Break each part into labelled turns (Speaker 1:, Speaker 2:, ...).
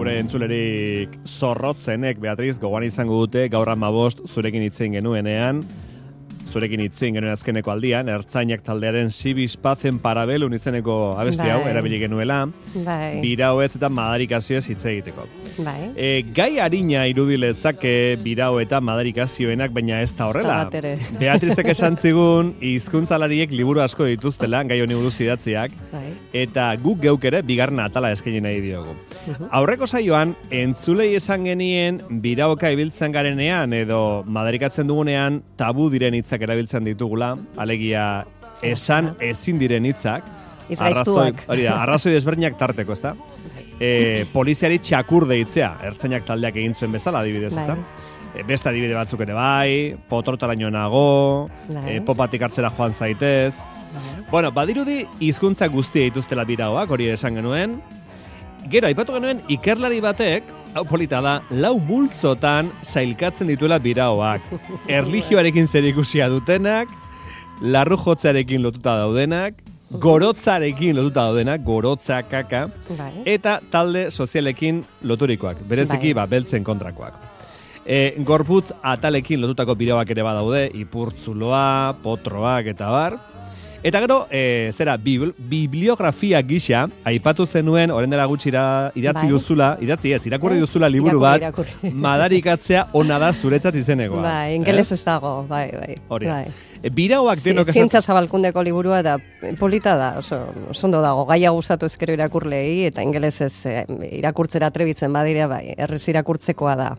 Speaker 1: gure entzulerik zorrotzenek, Beatriz, gogoan izango dute, gaur 15 zurekin hitzein genuenean, azkeneko aldian, Ertzainak taldearen Sibis Pacem Parabellum izeneko abesti hau, erabili genuela, birauez eta madarikazioez hitz egiteko. Gai harina irudilezake birau eta madarikazioenak, baina ez da horrela. Beatrizek esan zigun, hizkuntzalariek liburu asko dituztela, gai honi buruz idatziak, eta guk geuk ere bigarren atala eskaini nahi diogu. Aurreko saioan, entzulei esan genien birauka ibiltzen garenean edo madarikatzen dugunean tabu diren hitzak erabiltzen ditugula, alegia esan ezin diren hitzak, arrazoi desberdinak tarteko, ezta? Poliziari txakur deitzea, Ertzainak taldeak egin zuen bezala, adibidez, ezta? Beste adibide batzuk ere bai, potortaraino nago, popatik hartzera joan zaitez. Bueno, badirudi hizkuntza guztia dituztela birauak, hori esan genuen. Gero, aipatu genuen, ikerlari batek, hau polita da, 4 multzotan sailkatzen dituela birauak. Erlijioarekin zerikusia dutenak, larru jotzearekin lotuta daudenak, gorotzarekin lotuta daudenak, gorotza, kaka, eta talde sozialekin loturikoak, bereziki beltzen kontrakoak. Gorputz atalekin lotutako birauak ere badaude, ipurtzuloa, potroak eta bar. Eta gero, bibliografia gisa, aipatu zenuen, orain dela gutxi irakurri duzula liburu bat, madarikatzea ona da zuretzat izenekoa.
Speaker 2: Ingeles ez dago,
Speaker 1: Hori. Birauak denok
Speaker 2: zientzia zabalkundeko liburua da polita da, ondo dago, gaia gustatu ezkero irakurlei, eta ingelesez irakurtzera atrebitzen badira, errez irakurtzekoa da.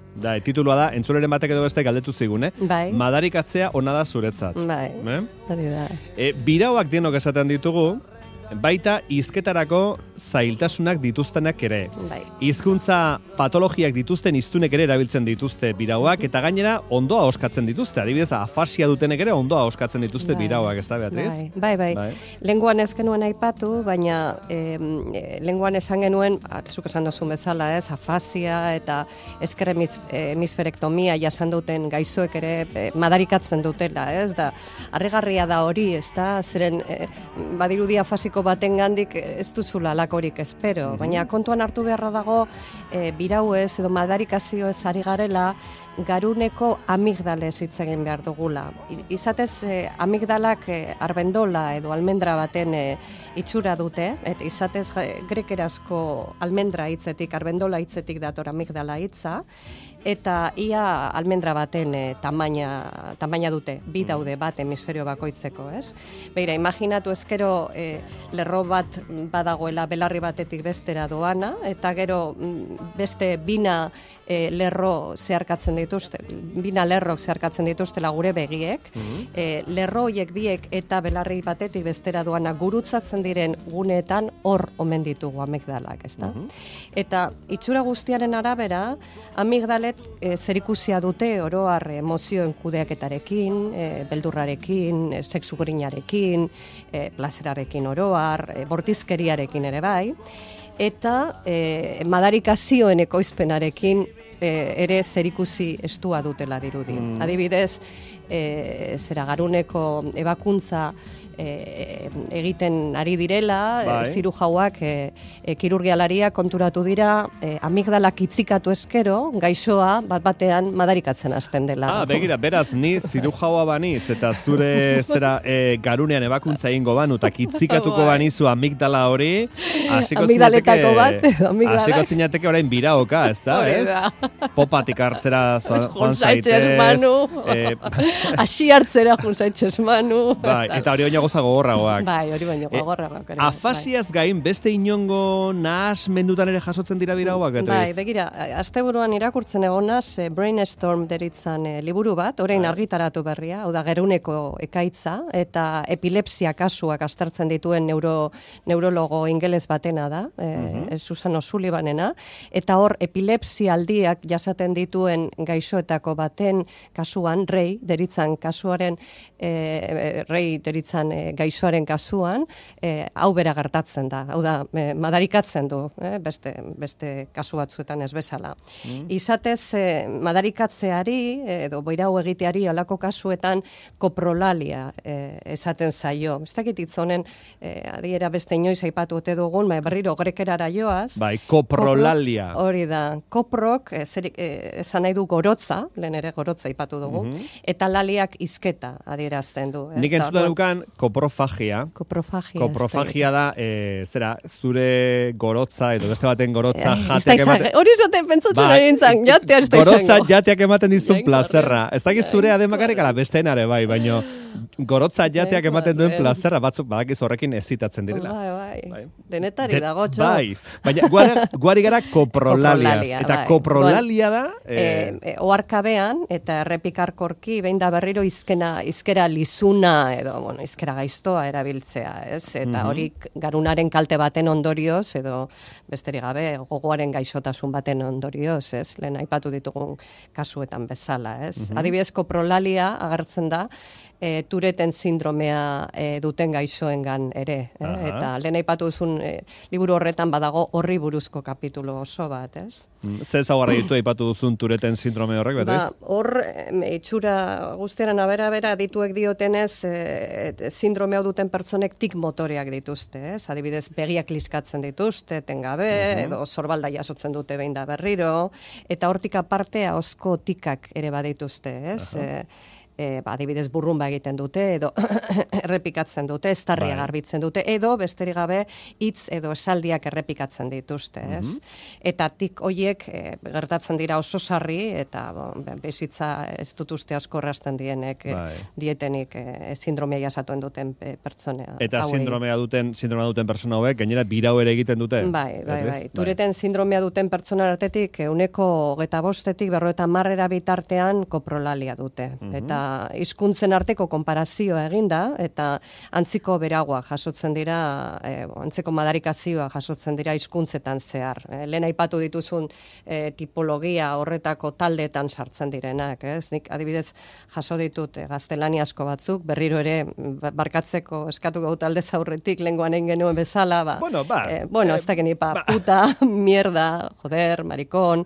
Speaker 1: Titulua da, entzuleren batek edo beste galdetu zigun, madarikatzea ona da zuretzat.
Speaker 2: Hori da.
Speaker 1: Birauak denok esaten ditugu, baita hizketarako zailtasunak dituztenak ere. Hizkuntza patologiak dituzten hiztunek ere erabiltzen dituzte birauak, eta gainera ondoa oskatzen dituzte. Adibidez, afasia dutenek ere ondoa oskatzen dituzte birauak, ez da, Beatriz?
Speaker 2: Bai. Lenguan ez genuen aipatu, baina lenguan esan genuen, zuk esan duzun bezala, afasia eta esker hemisferektomia jasan duten gaixoek ere madarikatzen dutela, ez da. Harrigarria da hori, ez da, zeren badirudi afasiko baten gandik ez duzula lakorik espero, baina kontuan hartu beharra dago birauez edo madarikazioez ari garela garuneko amigdalez hitz egin behar dugula. Izatez amigdalak arbendola edo almendra baten itxura dute, eta izatez grekerazko almendra hitzetik, arbendola hitzetik dator amigdala hitza, eta ia almendra baten tamaina dute, bi daude bat hemisferio bakoitzeko, ez? Beira, imaginatu ezkero lerro bat badagoela belarri batetik bestera doana, eta gero beste bina lerrok zeharkatzen dituztela gure begiek, lerro horiek biek eta belarri batetik bestera doana gurutzatzen diren guneetan hor omen ditugu amigdalak, ezta? Eta itxura guztiaren arabera, amigdalet zerikusia dute oroar emozioen kudeaketarekin, beldurrarekin, sexu grinarekin, plazerarekin oroar, bortizkeriarekin ere bai, eta madarikazioen ekoizpenarekin ere zerikusi estua dutela dirudi. Adibidez, garuneko ebakuntza egiten ari direla, zirujauak, kirurgialariak konturatu dira, amigdalak itzikatu eskero, gaixoa bat-batean madarikatzen hasten dela.
Speaker 1: Begira, beraz, ni zirujaua banitz, eta zure garunean ebakuntza egingo banu, eta itzikatuko banizu amigdala hori, hasiko zinateke orain biraoka, ez da, ez? Popatik hartzera joan zaitez.
Speaker 2: Asi hartzera joan zaitez manu.
Speaker 1: Eta hori oinago gogorragoak.
Speaker 2: Hori baino gogorragoak.
Speaker 1: Afasiaz gain, beste inongo nahasmendutan ere jasotzen dira birauak?
Speaker 2: Begira, asteburuan irakurtzen egonaz, Brainstorm deritzan liburu bat, orain argitaratu berria, hau da geruneko ekaitza, eta epilepsia kasuak aztertzen dituen neurologo ingeles batena da, Susan O'Sullivanena, eta hor epilepsia aldiak berak jasaten dituen gaixoetako baten kasuan, rei deritzan gaixoaren kasuan, hau bera gertatzen da. Hau da, madarikatzen du, beste kasu batzuetan ez bezala. Izatez, madarikatzeari, edo boirau egiteari alako kasuetan koprolalia esaten zaio. Ez dakit itzonen, adiera beste inoiz aipatu ote dugun, berriro grekerara joaz.
Speaker 1: Bai, koprolalia.
Speaker 2: Hori da, koprok, esan nahi du gorotza, lehen ere gorotza aipatu dugu, eta laliak izketa adierazten du.
Speaker 1: Nik entzuta dukan koprofagia. Koprofagia da, zure gorotza, edo beste baten gorotza jateak ematen.
Speaker 2: Hori zaten pentsatzen ari nintzen, jatea ez da izango.
Speaker 1: Gorotza jateak ematen dizun plazerra. Ez dakiz zure ademakarek ala besteenare bai, baino gorotza jateak ematen duen plazerra, batzuk badakiz horrekin ezitatzen direla.
Speaker 2: Bai. Denetari dago, txo.
Speaker 1: Bai, baina guari gara koprolaliaz. Eta koprolalia da...
Speaker 2: Oarkabean, eta errepikarkorki, behin da berriro izkera lizuna, edo, izkera gaiztoa erabiltzea, ez? Eta hori garunaren kalte baten ondorioz, edo besterik gabe, gogoaren gaixotasun baten ondorioz, ez? Lehen aipatu ditugun kasuetan bezala, ez? Adibidez, koprolalia agertzen da, Tureten sindromea duten gaixoengan ere. Eta lehen aipatu duzun liburu horretan badago horri buruzko kapitulo oso bat, ez?
Speaker 1: Ze ezaugarri ditu aipatu duzun Tureten sindrome horrek, betez?
Speaker 2: Hor, itxura guztiaren abera dituek diotenez, sindrome hau duten pertsonek tik motoreak dituzte, ez? Adibidez, begiak liskatzen dituzte, etengabe, edo sorbalda jasotzen dute behin da berriro, eta hortik aparte ahozko tikak ere badituzte, ez? Adibidez burrumba egiten dute, edo errepikatzen dute, estarria garbitzen dute, edo besterik gabe hitz edo esaldiak errepikatzen dituzte, ez? Eta tik hoiek gertatzen dira oso sarri, eta bizitza ez dut uste asko errasten dietenik sindromea jasatuen duten pertsonea.
Speaker 1: Eta sindromea duten pertsona hauek, gainera birau ere egiten dute?
Speaker 2: Bai. Tureten sindromea duten pertsona artetik, 25-etik 50 bitartean koprolalia dute. Eta hizkuntzen arteko konparazioa eginda, eta antziko beragoa jasotzen dira, antzeko madarikazioa jasotzen dira hizkuntzetan zehar. Lehen aipatu dituzun tipologia horretako taldeetan sartzen direnak, ez? Nik adibidez jaso ditut gaztelaniazko batzuk, berriro ere barkatzeko eskatu gau talde zaurretik lenguan egin genuen bezala, ez da genipa, puta, mierda, joder, marikon,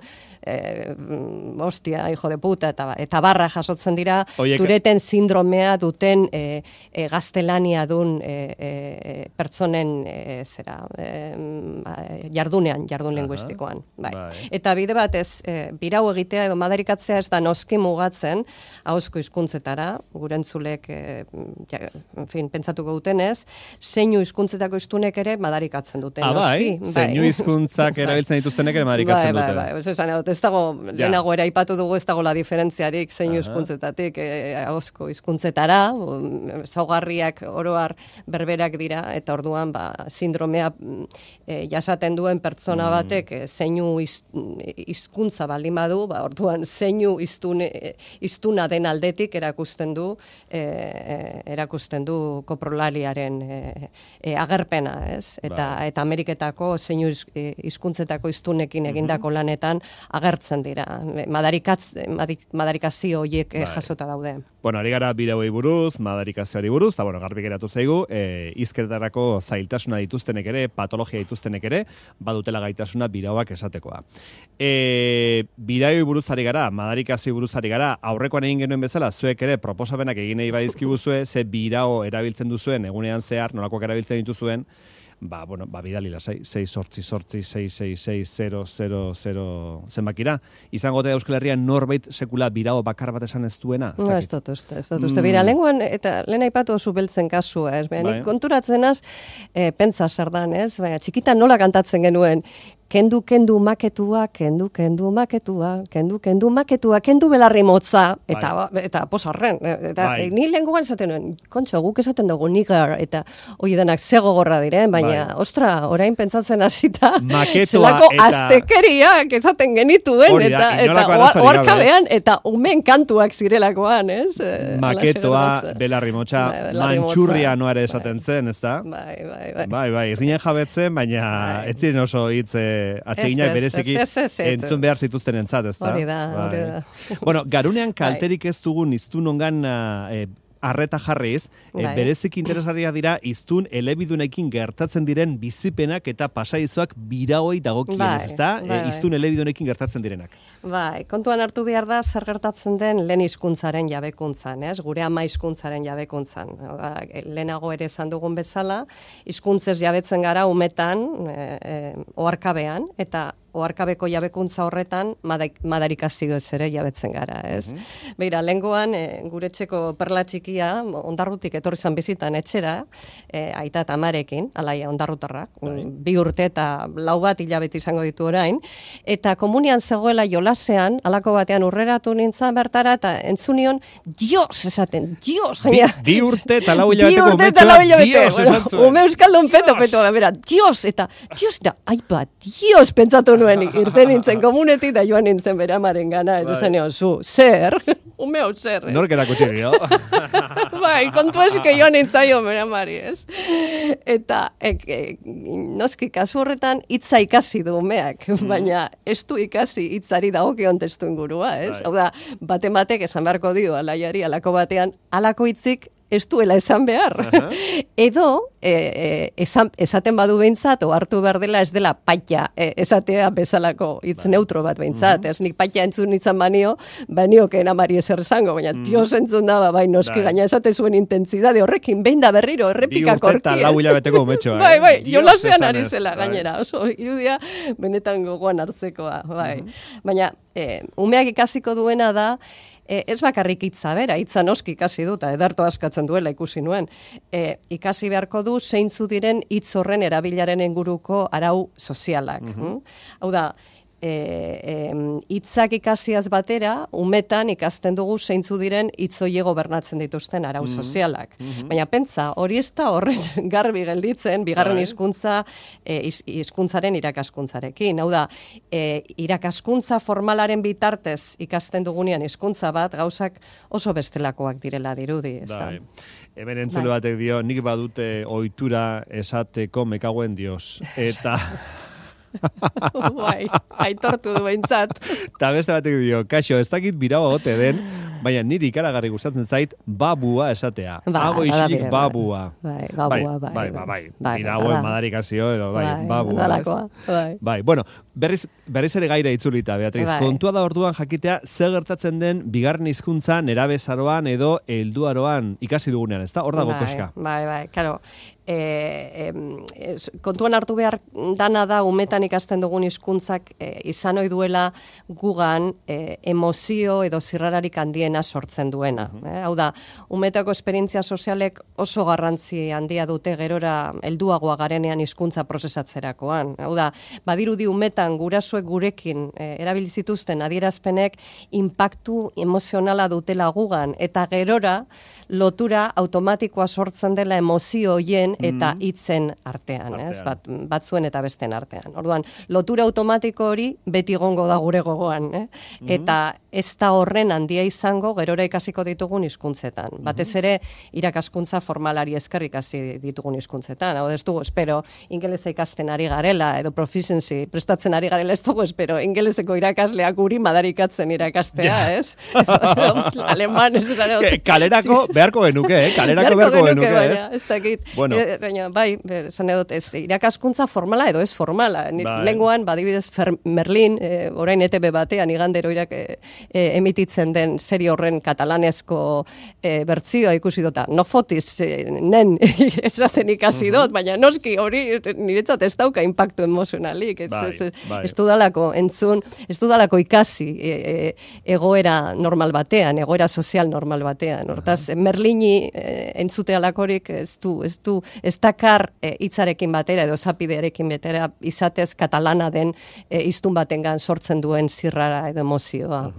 Speaker 2: hostia, hijo de puta, eta barra jasotzen dira, Tureten sindromea duten gaztelania dun pertsonen jardun linguistikoan. Eta bide batez, birau egitea edo madarikatzea ez da noski mugatzen ahozko hizkuntzetara, gure entzulek pentsatuko dutenez, zeinu hizkuntzetako hiztunek ere madarikatzen dute, noski.
Speaker 1: Zeinu hizkuntzak erabiltzen dituztenek ere madarikatzen dute.
Speaker 2: Ez dago, lehenago ere aipatu dugu ez dago la diferentziarik zeinu hizkuntzetatik ahozko hizkuntzetara, zaugarriak oroar berberak dira, eta orduan sindromea jasaten duen pertsona batek zeinu hizkuntza baldin badu, orduan zeinu hiztuna den aldetik erakusten du koprolaliaren agerpena, ez? Eta Ameriketako zeinu hizkuntzetako hiztunekin egindako lanetan agertzen dira. Madarikazio horiek jasota daude.
Speaker 1: Bueno, ari gara birauei buruz, madarikazioari buruz, eta garbi geratu zaigu, hizketarako zailtasuna dituztenek ere, patologia dituztenek ere, badutela gaitasuna birauak esatekoa. Birauei buruz ari gara, madarikazioei buruz ari gara, aurrekoan egin genuen bezala, zuek ere proposamenak egin nahi badizkiguzue, ze birau erabiltzen duzuen, egunean zehar, nolakoak erabiltzen dituzuen, bidali lasai, 688-666-000 zenbakira. Izango da Euskal Herrian norbait sekula birao bakar bat esan ez duena?
Speaker 2: Ez dut uste. Bira, lenguan, eta lehen aipatu oso beltzen kasua, ez? Nik konturatzenaz, pentsa sardan, ez? Baina, txikitan nola kantatzen genuen, kendu maketua, kendu belarri motza, eta posarren. Ni lenguan esaten nuen, kontxo, guk esaten dugu nigar, eta hoi denak zegogorra diren, baina, ostra, orain pentsatzen hasita, zelako aztekeriak esaten genituen, eta oarkabean, eta umen kantuak zirelakoan, ez?
Speaker 1: Maketoa, belarri motza, mantxurria noare esaten zen, ez da?
Speaker 2: Bai.
Speaker 1: Ez ginen jabetzen, baina ez ziren oso hitz atseginak bereziki entzun behar zituzten entzat, ez da?
Speaker 2: Hori da.
Speaker 1: Bueno, garunean kalterik ez dugun iztun ongan arreta jarriz, bereziki interesgarria dira iztun elebidunekin gertatzen diren bizipenak eta pasaizoak biraoi dagokienez, ez da? Iztun elebidunekin gertatzen direnak.
Speaker 2: Bai, kontuan hartu behar da zer gertatzen den lehen hizkuntzaren jabekuntzan, ez? Gure ama hizkuntzaren jabekuntzan. Lehenago ere esan dugun bezala, hizkuntzez jabetzen gara umetan, oharkabean, eta oharkabeko jabekuntza horretan madarikazio ez ere jabetzen gara, ez? Beira, lehengoan, gure etxeko perla txikia, Ondarrutik etorri zan bizitan etxera, aita eta amarekin, alaia Ondarrutarrak, 2 urte eta 4 bat hilabete izango ditu orain, eta komunian zegoela jolasean, halako batean urreratu nintzen bertara, eta entzunion, Dios esaten, Dios!
Speaker 1: 2 urte eta 4 hilabeteko Dios esan zuen.
Speaker 2: Ume euskaldun peto, bera, Dios, eta Dios, da, aipa, Dios, pentsatu nuen, irten nintzen komunetik, da joan nintzen bere amaren gana, eta zen zer? Ume hau zer, ez?
Speaker 1: Nork erakutsi dio?
Speaker 2: Bai, kontu eske joan nintzaio bere amari, ez? Eta, noski, kasu horretan, hitza ikasi du umeak, baina ez du ikasi hitzari dagokion testu ingurua, ez? Hau da, batek esan beharko dio, alaiari, alako batean, alako hitzik ez duela esan behar. Edo, esaten badu behintzat, hartu behar dela ez dela paita esatea bezalako hitz neutro bat behintzat. Ez nik paita entzun nintzen banioken amari ezer esango, baina Dios entzun da, bai noski gaina esate zuen intentzidade horrekin, behin da berriro, errepikak horki.
Speaker 1: 2 urte eta 4 hilabeteko umetxoa.
Speaker 2: Bai, jolasean ari zela gainera, oso irudia benetan gogoan hartzekoa, bai. Baina, umeak ikasiko duena da, ez bakarrik hitza bera, hitza noski ikasi dut, ederto askatzen duela ikusi nuen. Ikasi beharko du zeintzu diren hitz horren erabilaren inguruko arau sozialak. Hau da, hitzak ikasiaz batera, umetan ikasten dugu zeintzu diren hitz horiek gobernatzen dituzten arau sozialak. Baina pentsa, hori ez da horren garbi gelditzen, bigarren hizkuntzaren irakaskuntzarekin. Hau da, irakaskuntza formalaren bitartez ikasten dugunean hizkuntza bat, gauzak oso bestelakoak direla dirudi, ez da?
Speaker 1: Hemen entzule batek dio, nik badute ohitura esateko mekaguen Dios. Eta...
Speaker 2: Bai, aitortu du behintzat.
Speaker 1: Ta beste batek dio, kaixo, ez dakit birau agote den, baina niri ikaragarri gustatzen zait babua esatea. Hago isik babua. Bai. Birauen madarikazio, babua. Bai, bueno, berriz ere gaira itzulita, Beatriz. Kontua da orduan jakitea, zer gertatzen den bigarren hizkuntza nerabezaroan edo helduaroan ikasi dugunean, ezta? Hor dago koska.
Speaker 2: Bai, claro. Kontuan hartu behar dana da umetan ikasten dugun hizkuntzak izan ohi duela gugan emozio edo zirrararik handiena sortzen duena. Hau da, umetako esperientzia sozialek oso garrantzi handia dute gerora helduagoa garenean hizkuntza prozesatzerakoan. Hau da, badirudi umetan gurasoek gurekin erabili zituzten adierazpenek inpaktu emozionala dutela gugan eta gerora lotura automatikoa sortzen dela emozio hoien eta hitzen artean, ez? Batzuen eta besteen artean. Orduan, lotura automatiko hori beti egongo da gure gogoan, eta ez da horren handia izango gerora ikasiko ditugun hizkuntzetan. Batez ere irakaskuntza formalari esker ikasi ditugun hizkuntzetan. Hau ez dugu espero ingelesa ikasten ari garela edo proficiency prestatzen ari garela, ez dugu espero ingeleseko irakasleak guri madarikatzen irakastea, ez? Aleman ez da.
Speaker 1: Kalerako beharko genuke, kalerako beharko genuke,
Speaker 2: ez dakit. Baina, bai, esan edot, ez irakaskuntza formala edo ez formala. Lenguan, badibidez, Merlin, orain ETB batean, igandero emititzen den serie horren katalanezko bertzioa ikusi dota. No fotis, nen, esaten ikasi dut, baina noski hori niretzat ez dauka impactu emozionalik. Ez dudalako entzun, ez dudalako ikasi egoera normal batean, egoera sozial normal batean. Hortaz, Merlini entzute alakorik ez dakar hitzarekin batera edo esapidearekin batera izatez katalana den hiztun batengan sortzen duen zirrara edo emozioa.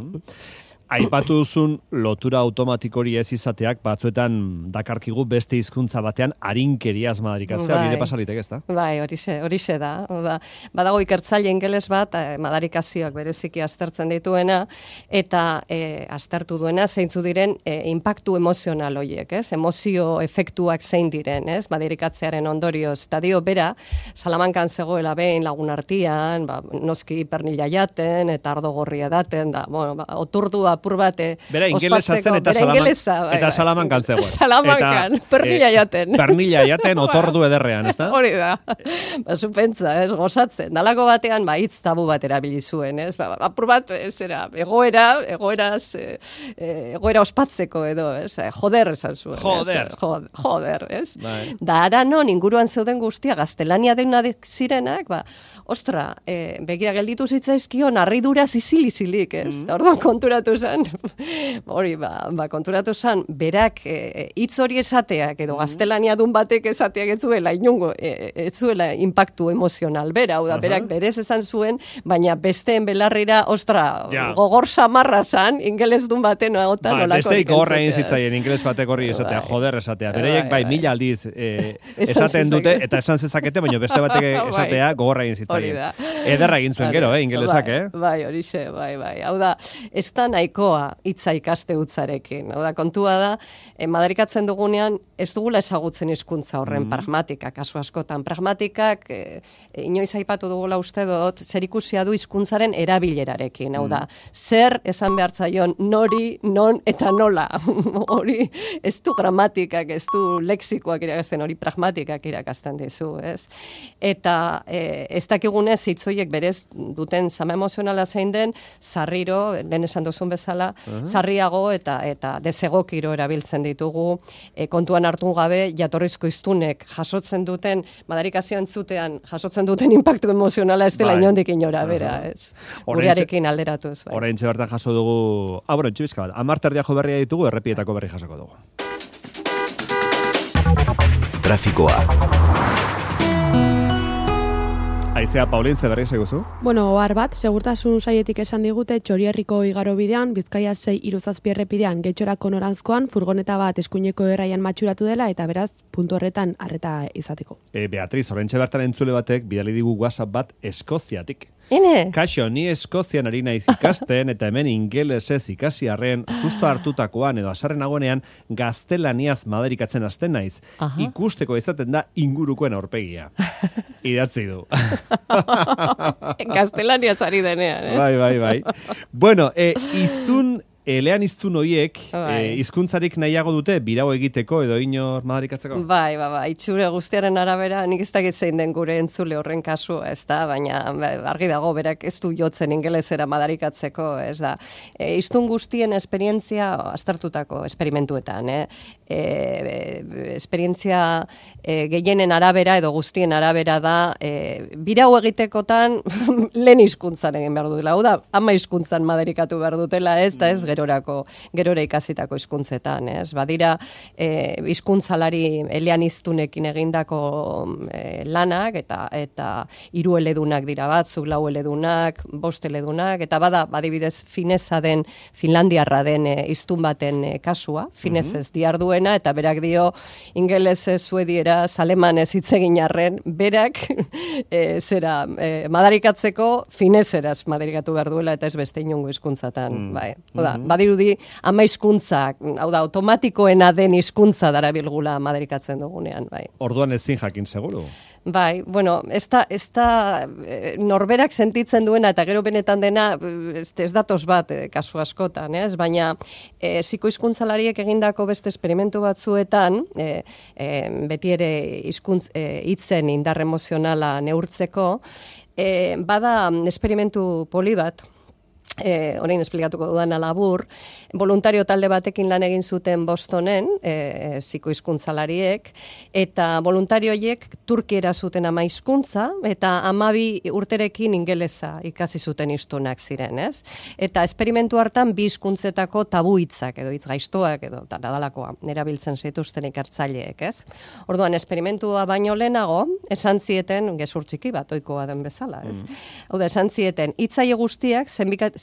Speaker 1: aipatu duzun lotura automatikori ez izateak batzuetan dakarkigu beste hizkuntza batean arinkeriaz madarikatzea, nire pasalitek ez da?
Speaker 2: Bai, horixe da. Badago ikertzaile ingeles bat, madarikazioak bereziki aztertzen dituena, eta aztertu duena zeintzu diren inpaktu emozional horiek, ez? Emozio efektuak zein diren, ez? Madarikatzearen ondorioz. Eta dio, bera, Salamankan zegoela behin lagun artean, noski pernila jaten, eta ardo gorria daten, da, oturdu apur bate.
Speaker 1: Bera ingelesa zen eta Salamankan zegoen.
Speaker 2: Salamankan, pernila jaten.
Speaker 1: Pernila jaten, otordu ederrean, ez da?
Speaker 2: Hori da. Zupentza, ez, gozatzen. Dalako batean, hitz tabu bat erabili zuen, ez? Apur bat, egoera ospatzeko edo, ez? Joder, esan zuen. Joder, ez? Da, ara non, inguruan zeuden guztia, gaztelania deuna zirenak, ostra, begira gelditu zitzaizkion, harridura zizilizilik, ez? Da, orduan konturatu zen, konturatu zen, berak hitz hori esateak, edo gaztelania dun batek esateak ez zuela, inungo, ez zuela impactu emozional, bera, berak berez esan zuen, baina besteen belarrira, ostra, gogor samarra zan, ingeles dun baten,
Speaker 1: besteik gogorra egin zitzaien, ingeles batek horri esatea, joder esatea, bereiek mila aldiz esaten dute, eta esan zezakete, baina beste batek esatea gogorra egin zitzaien. Ederra egin zuen gero, ingelesak,
Speaker 2: Bai, horixe, bai. Hau da, ez da nahikoa hitza ikaste hutsarekin. Hau da, kontua da, madarikatzen dugunean, ez dugula ezagutzen hizkuntza horren pragmatika, kasu askotan. Pragmatikak, inoiz aipatu dugula uste dut, zer ikusia du hizkuntzaren erabilerarekin. Hau da, zer esan behar zaion nori, non eta nola. Hori, ez du gramatikak, ez du lexikoak irakasten, hori pragmatikak irakasten dizu, ez? Eta ez dakigunez hitzoiek berez duten zama emozionala zein den, sarriro, lehen esan duzun bezala, sarriago eta desegokiro erabiltzen ditugu, kontuan hartu gabe, jatorrizko hiztunek jasotzen duten, madarikazio entzutean, jasotzen duten impactu emozionala ez dela inondik inora, bera, ez? Gurearekin alderatuz.
Speaker 1: Orain bertan jaso dugu, txibizka bat, 10 terdiajo berria ditugu, errepietako berri jasoko dugu. Trafikoa. Aizea, Paulin, zeberri seguzu?
Speaker 3: Bueno, ohar bat, segurtasun saietik esan digute Txorierriko igaro bidean, Bizkaia 6-7 errepidean, Getxorako noranzkoan, furgoneta bat eskuineko erraian matxuratu dela, eta beraz, puntu horretan arreta izateko.
Speaker 1: Beatriz, horrentxe bertan entzule batek, bidali digu WhatsApp bat Eskoziatik. Kaixo, ni Eskozian ari naiz ikasten, eta hemen ingelesez ikasi arren, justo hartutakoan edo asarren agonean, gaztelaniaz madarikatzen hasten naiz. Ikusteko izaten da ingurukoen aurpegia. Idatzi du.
Speaker 2: Gaztelaniaz ari denean, ez?
Speaker 1: Bai. Bueno, elean iztun horiek, hizkuntzarik nahiago dute, birau egiteko edo inor madarikatzeko?
Speaker 2: Bai, itxure guztiaren arabera, nik ez dakit zein den gure entzule horren kasua, ez da, baina argi dago, berak ez du jotzen ingelesera madarikatzeko, ez da. Hiztun guztien esperientzia aztertutako esperimentuetan, esperientzia gehienen arabera edo guztien arabera da, birau egitekotan lehen hizkuntzan egin behar dutela, hau da, 10 hizkuntzan madarikatu behar dutela, ez da, ez gerora ikasitako hizkuntzetan, ez? Badira, hizkuntzalari eleaniztunekin egindako lanak, eta 3 eledunak dira batzuk, 4 eledunak, 5 eledunak, eta badibidez finesa den, finlandiarra den hiztun baten kasua, finesez diarduena, eta berak dio, ingelese, suediera, alemanez hitz egin arren, berak madarikatzeko fineseraz madarikatu behar duela, eta ez beste inongo hizkuntzatan, bai. Badirudi, 10 hizkuntzak, hau da, automatikoena den hizkuntza darabilgula madarikatzen dugunean, bai.
Speaker 1: Orduan ezin jakin seguru?
Speaker 2: Bai, bueno, ez da norberak sentitzen duena, eta gero benetan dena, ez datoz bat kasu askotan, ez? Baina, psikohizkuntzalariek egindako beste esperimentu batzuetan, beti ere hitzen indar emozionala neurtzeko, bada esperimentu poli bat, orain esplikatuko dudana labur, voluntario talde batekin lan egin zuten Bostonen, psikohizkuntzalariek, eta voluntarioiek turkiera zuten 10 hizkuntza, eta 12 urterekin ingelesa ikasi zuten hiztunak ziren, ez? Eta esperimentu hartan 2 hizkuntzetako tabu hitzak, edo hitz gaiztoak, edo nadalakoa, erabiltzen zituzten ikertzaileek, ez? Orduan, esperimentua baino lehenago, esan zieten, gezur txiki bat, ohikoa den bezala, ez? Hau da, esan zieten, hitzaile guztiak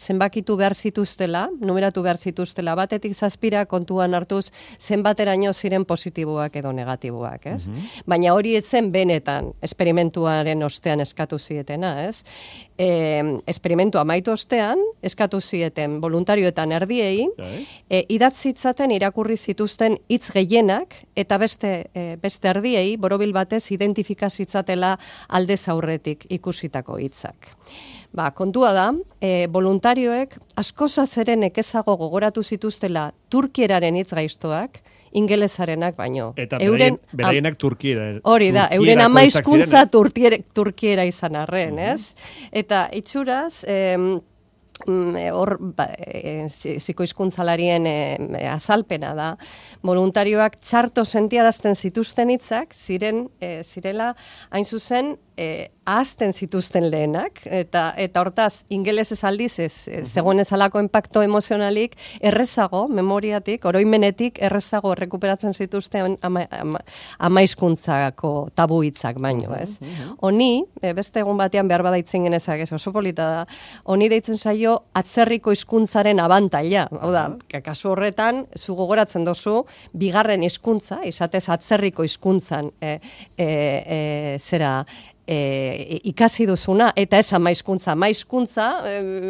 Speaker 2: zenbakitu behar zituztela, numeratu behar zituztela, batetik 7 kontuan hartuz zenbateraino ziren positiboak edo negatiboak, ez? Baina hori ez zen benetan esperimentuaren ostean eskatu zietena, ez? Esperimentu amaitu ostean, eskatu zieten voluntarioetan erdiei, idatzitzaten irakurri zituzten hitz gehienak, eta beste erdiei, borobil batez, identifikazitzatela aldez aurretik ikusitako hitzak. Kontua da, voluntarioek askozaz ere nekezago gogoratu zituztela turkieraren hitz gaiztoak, ingelesarenak baino.
Speaker 1: Eta beraienak turkiera.
Speaker 2: Hori da, euren ama hizkuntza turkiera izan arren, ez? Eta itxuraz, psikohizkuntzalarien azalpena da, voluntarioak txarto sentiarazten zituzten hitzak zirela hain zuzen ahazten zituzten lehenak, eta hortaz, ingelesez aldiz zegoen ezalako impacto emozionalik errezago, memoriatik, oroimenetik errezago rekuperatzen zituzten ama hizkuntzako tabu hitzak baino, ez? Honi, beste egun batean behar badaitzen genezak, ez oso polita da, honi deitzen zaio atzerriko hizkuntzaren abantaila. Hau da, kasu horretan, zu gogoratzen dozu, bigarren hizkuntza, izatez atzerriko hizkuntzan ikasi duzuna, eta ez amaizkuntza. Amaizkuntza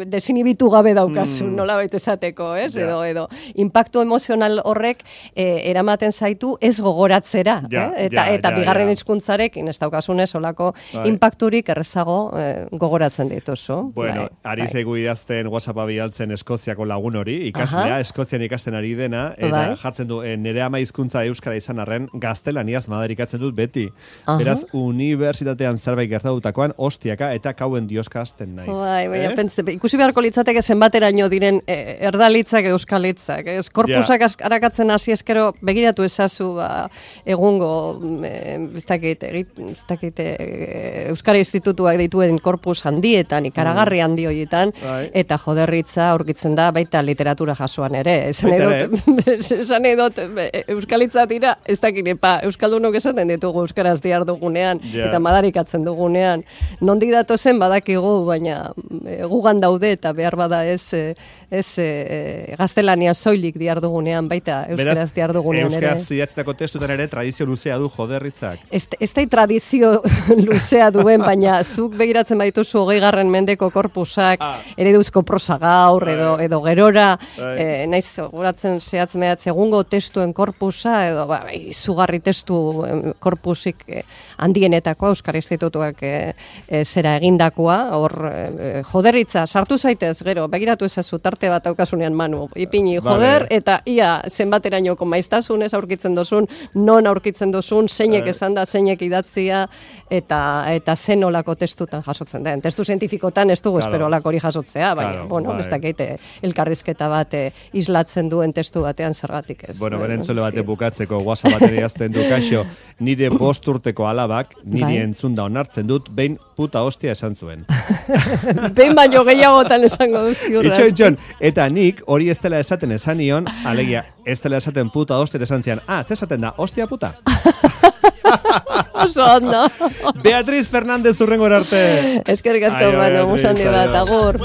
Speaker 2: desinibitu gabe daukazu, nola baita esateko, ez? Edo impactu emozional horrek eramaten zaitu ez gogoratzera, eta bigarren hizkuntzarekin ez daukasunez olako impacturik errezago gogoratzen dituzu.
Speaker 1: Bueno, ari zaigu idazten WhatsAppa bialtzen Eskoziako lagun hori, ikaslea, Eskozian ikasten ari dena, eta jartzen du, nire ama hizkuntza euskara izan arren, gaztelaniaz madarikatzen dut beti. Beraz, unibertsitatean zerbait gertatutakoan ostiaka eta kauen dioska hasten naiz.
Speaker 2: Ikusi beharko litzateke zenbateraino diren erdalitzak euskalitzak. Korpusak arakatzen hasi eskero begiratu ezazu egungo Euskara Institutuak dituen korpus handietan, ikaragarri handi horietan, eta joderritza aurkitzen da baita literatura jasoan ere. Esan edot, euskalitza dira, ez dakit, euskaldunok esaten ditugu euskaraz diar dugunean, eta madarikatzen dugunean. Nondik datozen badakigu, baina gugan daude eta behar bada ez gaztelania soilik diar dugunean, baita euskaraz diar dugunean ere.
Speaker 1: Euskaraz idatzitako testutan ere tradizio luzea du joderritzak.
Speaker 2: Ez da tradizio luzea duen, baina zuk begiratzen badituzu 20. mendeko korpusak, ereduzko prosa gaur, edo gerora, naiz goratzen zehatz mehatz egungo testuen korpusa, edo izugarri testu korpusik handienetako Euskara Institutuak zera egindakoa, hor joderritza, sartu zaitez, gero, begiratu ezazu tarte bat aukasunean Manu, ipini joder, eta ia zenbaterainoko maiztasunez aurkitzen dozun, non aurkitzen dozun, zeinek esan da, zeinek idatzia, eta zen olako testutan jasotzen den. Testu zientifikotan ez dugu espero olako hori jasotzea, baina, bueno, ez dakite elkarrizketa bat islatzen duen testu batean zergatik ez.
Speaker 1: Bueno, berentzule bate bukatzeko, WhatsApp baten idazten du, kaixo, nire 5 urteko alabak, niri entzunda onartzen dut, behin puta hostia esan zuen.
Speaker 2: Behin baino gehiagotan esango du ziurraz.
Speaker 1: Itxon, eta nik hori ez dela esaten esan nion, alegia, ez dela esaten puta hostia esan zian, ez esaten da, hostia puta.
Speaker 2: Oso ondo.
Speaker 1: Beatriz Fernández urrengor arte.
Speaker 2: Eskerrik asko, Manu, musan bat, agur.